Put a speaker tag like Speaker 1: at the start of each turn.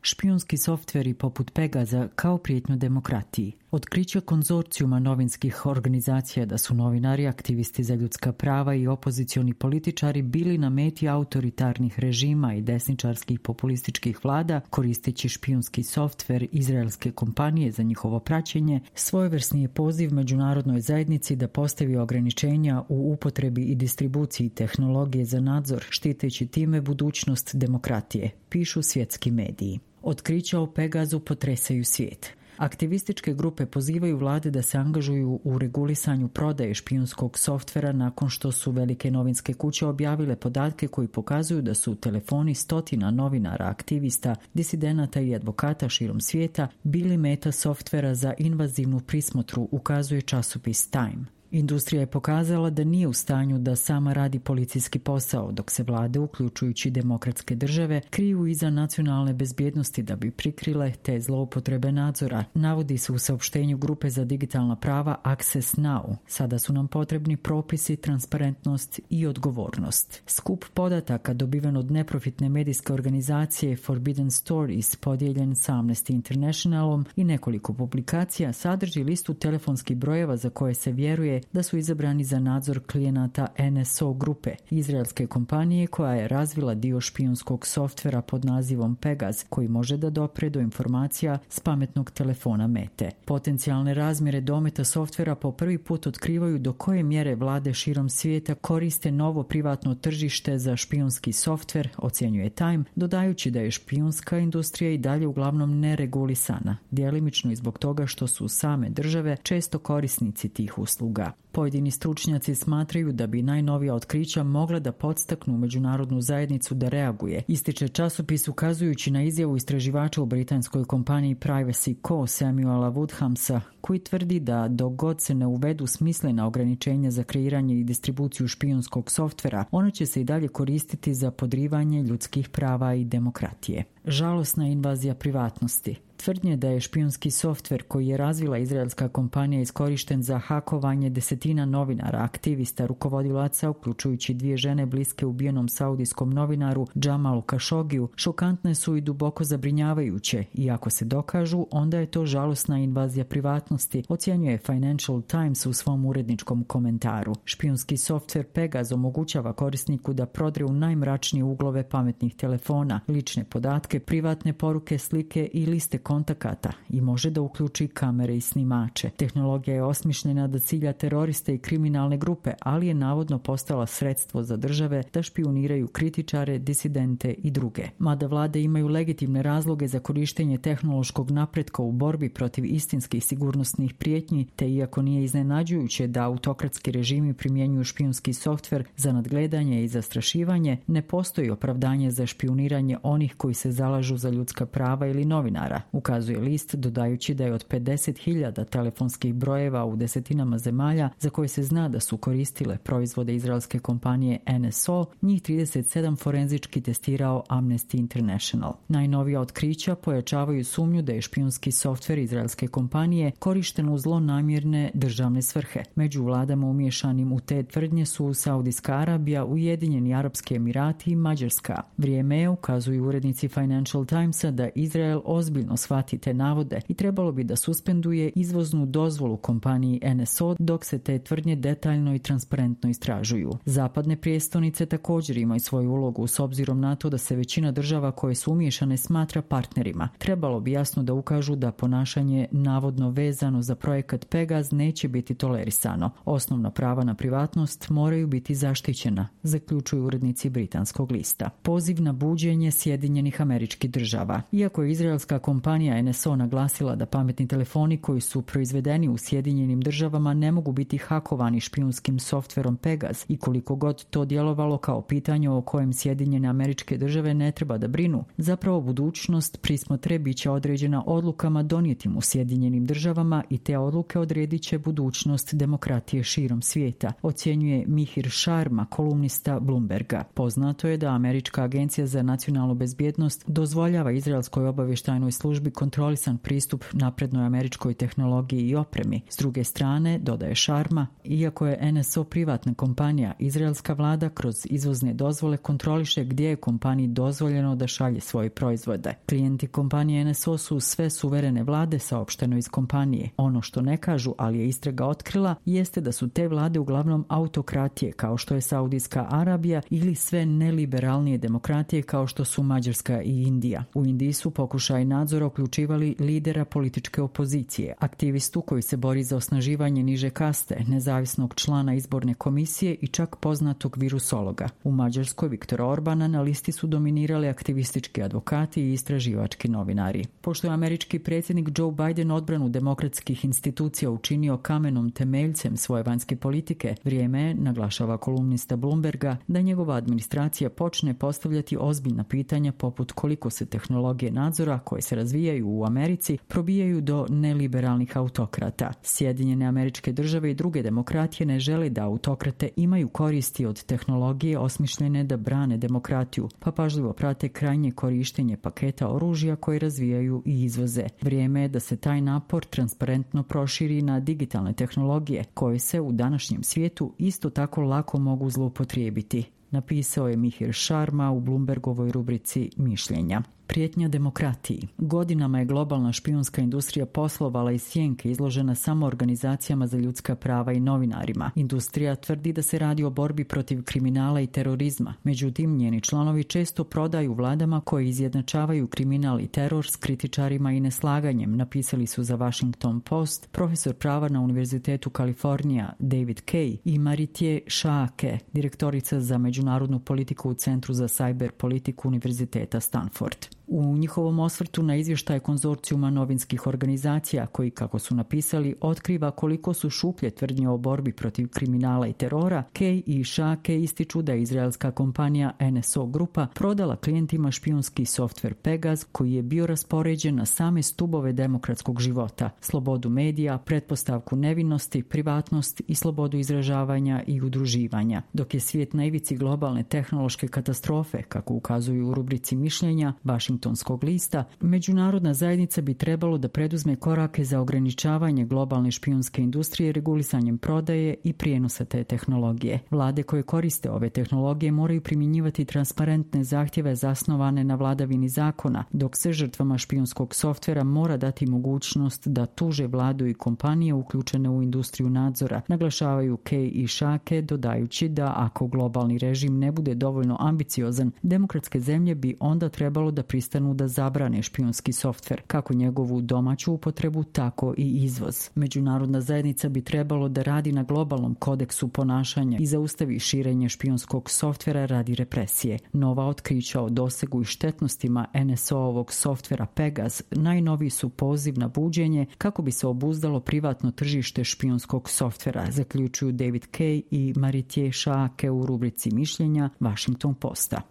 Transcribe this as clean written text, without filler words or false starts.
Speaker 1: Špijunski softveri poput Pegaza kao prijetnju demokratiji. Otkriće konzorcijuma novinskih organizacija da su novinari, aktivisti za ljudska prava i opozicioni političari bili na meti autoritarnih režima i desničarskih populističkih vlada koristeći špijunski softver izraelske kompanije za njihovo praćenje, svojevrsni je poziv međunarodnoj zajednici da postavi ograničenja u upotrebi i distribuciji tehnologije za nadzor, štiteći time budućnost demokratije, pišu svjetski mediji. Otkrića o Pegazu potresaju svijet. Aktivističke grupe pozivaju vlade da se angažuju u regulisanju prodaje špijunskog softvera nakon što su velike novinske kuće objavile podatke koji pokazuju da su telefoni stotina novinara, aktivista, disidenata i advokata širom svijeta bili meta softvera za invazivnu prismotru, ukazuje časopis Time. Industrija je pokazala da nije u stanju da sama radi policijski posao, dok se vlade, uključujući demokratske države, kriju iza nacionalne bezbjednosti da bi prikrile te zloupotrebe nadzora. Navodi se u saopštenju grupe za digitalna prava Access Now. Sada su nam potrebni propisi, transparentnost i odgovornost. Skup podataka dobiven od neprofitne medijske organizacije Forbidden Stories, podijeljen sa Amnesty Internationalom i nekoliko publikacija, sadrži listu telefonskih brojeva za koje se vjeruje da su izabrani za nadzor klijenata NSO grupe, izraelske kompanije koja je razvila dio špijunskog softvera pod nazivom Pegaz, koji može da dopre do informacija s pametnog telefona mete. Potencijalne razmjere dometa softvera po prvi put otkrivaju do koje mjere vlade širom svijeta koriste novo privatno tržište za špijunski softver, ocjenjuje Time, dodajući da je špijunska industrija i dalje uglavnom neregulisana, djelimično i zbog toga što su same države često korisnici tih usluga. Pojedini stručnjaci smatraju da bi najnovija otkrića mogla da podstaknu međunarodnu zajednicu da reaguje. Ističe časopis ukazujući na izjavu istraživača u britanskoj kompaniji Privacy Co. Samuela Woodhamsa, koji tvrdi da dok god se ne uvedu smislena ograničenja za kreiranje i distribuciju špijunskog softvera, ono će se i dalje koristiti za podrivanje ljudskih prava i demokratije. Žalosna invazija privatnosti. Tvrdnje da je špijunski softver koji je razvila izraelska kompanija iskorišten za hakovanje desetina novinara, aktivista, rukovodilaca, uključujući 2 žene bliske ubijenom saudijskom novinaru Jamalu Khashogiju, šokantne su i duboko zabrinjavajuće i ako se dokažu, onda je to žalosna invazija privatnosti, ocjenjuje Financial Times u svom uredničkom komentaru. Špijunski softver Pegaz omogućava korisniku da prodre u najmračnije uglove pametnih telefona, lične podatke, privatne poruke, slike i liste kontakata i može da uključi kamere i snimače. Tehnologija je osmišljena da cilja teroriste i kriminalne grupe, ali je navodno postala sredstvo za države da špijuniraju kritičare, disidente i druge. Mada vlade imaju legitimne razloge za korištenje tehnološkog napretka u borbi protiv istinskih sigurnosnih prijetnji, te iako nije iznenađujuće da autokratski režimi primjenjuju špijunski softver za nadgledanje i zastrašivanje, ne postoji opravdanje za špijuniranje onih koji se zalažu za ljudska prava ili novinara, ukazuje list, dodajući da je od 50.000 telefonskih brojeva u desetinama zemalja za koje se zna da su koristile proizvode izraelske kompanije NSO, njih 37 forenzički testirao Amnesty International. Najnovija otkrića pojačavaju sumnju da je špijunski softver izraelske kompanije korišten u zlonamjerne državne svrhe. Među vladama umješanim u te tvrdnje su Saudijska Arabija, Ujedinjeni Arapski Emirati i Mađarska. Vrijeme je, ukazuju urednici Financial Timesa, da Izrael ozbiljno shvati te navode i trebalo bi da suspenduje izvoznu dozvolu kompaniji NSO dok se te tvrdnje detaljno i transparentno istražuju. Zapadne prijestolnice također imaju svoju ulogu s obzirom na to da se većina država koje su umiješane smatra partnerima. Trebalo bi jasno da ukažu da ponašanje navodno vezano za projekat Pegaz neće biti tolerisano. Osnovna prava na privatnost moraju biti zaštićena, zaključuju urednici britanskog lista. Poziv na buđenje Sjedinjenih Američkih Država. Iako je izraelska kompanija NSO naglasila da pametni telefoni koji su proizvedeni u Sjedinjenim Državama ne mogu biti hakovani špijunskim softverom Pegaz i koliko god to djelovalo kao pitanje o kojem Sjedinjene Američke Države ne treba da brinu, zapravo budućnost prismotre bit će određena odlukama donijetim u Sjedinjenim Državama i te odluke odredit će budućnost demokratije širom svijeta, ocjenjuje Mihir Sharma, kolumnista Bloomberga. Poznato je da Američka agencija za nacionalnu bezbjednost dozvoljava izraelskoj obavještajnoj službi bi kontrolisan pristup naprednoj američkoj tehnologiji i opremi. S druge strane, dodaje Sharma, iako je NSO privatna kompanija, izraelska vlada kroz izvozne dozvole kontroliše gdje je kompaniji dozvoljeno da šalje svoje proizvode. Klijenti kompanije NSO su sve suverene vlade, saopšteno iz kompanije. Ono što ne kažu, ali je istraga otkrila, jeste da su te vlade uglavnom autokratije, kao što je Saudijska Arabija, ili sve neliberalnije demokratije, kao što su Mađarska i Indija. U Indiji su pokušaj nadzora uključivali lidera političke opozicije, aktivistu koji se bori za osnaživanje niže kaste, nezavisnog člana izborne komisije i čak poznatog virusologa. U Mađarskoj Viktora Orbana na listi su dominirali aktivistički advokati i istraživački novinari. Pošto je američki predsjednik Joe Biden odbranu demokratskih institucija učinio kamenom temeljcem svoje vanjske politike, vrijeme je, naglašava kolumnista Bloomberga, da njegova administracija počne postavljati ozbiljna pitanja poput koliko se tehnologije nadzora koje se razvijaju u Americi probijaju do neliberalnih autokrata. Sjedinjene Američke Države i druge demokratije ne žele da autokrate imaju koristi od tehnologije osmišljene da brane demokratiju, pa pažljivo prate krajnje korištenje paketa oružja koje razvijaju i izvoze. Vrijeme je da se taj napor transparentno proširi na digitalne tehnologije koje se u današnjem svijetu isto tako lako mogu zloupotrijebiti, napisao je Mihir Sharma u Bloombergovoj rubrici Mišljenja. Prijetnja demokratiji. Godinama je globalna špijunska industrija poslovala iz sjenke izložena samo organizacijama za ljudska prava i novinarima. Industrija tvrdi da se radi o borbi protiv kriminala i terorizma. Međutim, njeni članovi često prodaju vladama koje izjednačavaju kriminal i teror s kritičarima i neslaganjem, napisali su za Washington Post profesor prava na Univerzitetu Kalifornija David Kay i Maritje Šaake, direktorica za međunarodnu politiku u Centru za cyber politiku Univerziteta Stanford. U njihovom osvrtu na izvještaj konzorcijuma novinskih organizacija koji, kako su napisali, otkriva koliko su šuplje tvrdnje o borbi protiv kriminala i terora, Kay i Šake ističu da je izraelska kompanija NSO Grupa prodala klijentima špijunski softver Pegaz koji je bio raspoređen na same stubove demokratskog života, slobodu medija, pretpostavku nevinosti, privatnost i slobodu izražavanja i udruživanja. Dok je svijet na ivici globalne tehnološke katastrofe, kako ukazuju u rubrici Mišljenja Washingtonskog lista, međunarodna zajednica bi trebalo da preduzme korake za ograničavanje globalne špijunske industrije regulisanjem prodaje i prijenosa te tehnologije. Vlade koje koriste ove tehnologije moraju primjenjivati transparentne zahtjeve zasnovane na vladavini zakona, dok se žrtvama špijunskog softvera mora dati mogućnost da tuže vladu i kompanije uključene u industriju nadzora, naglašavaju Kay i Šake, dodajući da ako globalni režim ne bude dovoljno ambiciozan, demokratske zemlje bi onda trebalo da pristanu da zabrane špijunski softver, kako njegovu domaću upotrebu, tako i izvoz. Međunarodna zajednica bi trebalo da radi na globalnom kodeksu ponašanja i zaustavi širenje špijunskog softvera radi represije. Nova otkrića o dosegu i štetnostima NSO-ovog softvera Pegaz najnoviji su poziv na buđenje kako bi se obuzdalo privatno tržište špijunskog softvera, zaključuju David Kay i Maritje Šaake u rubrici Mišljenja Washington Posta.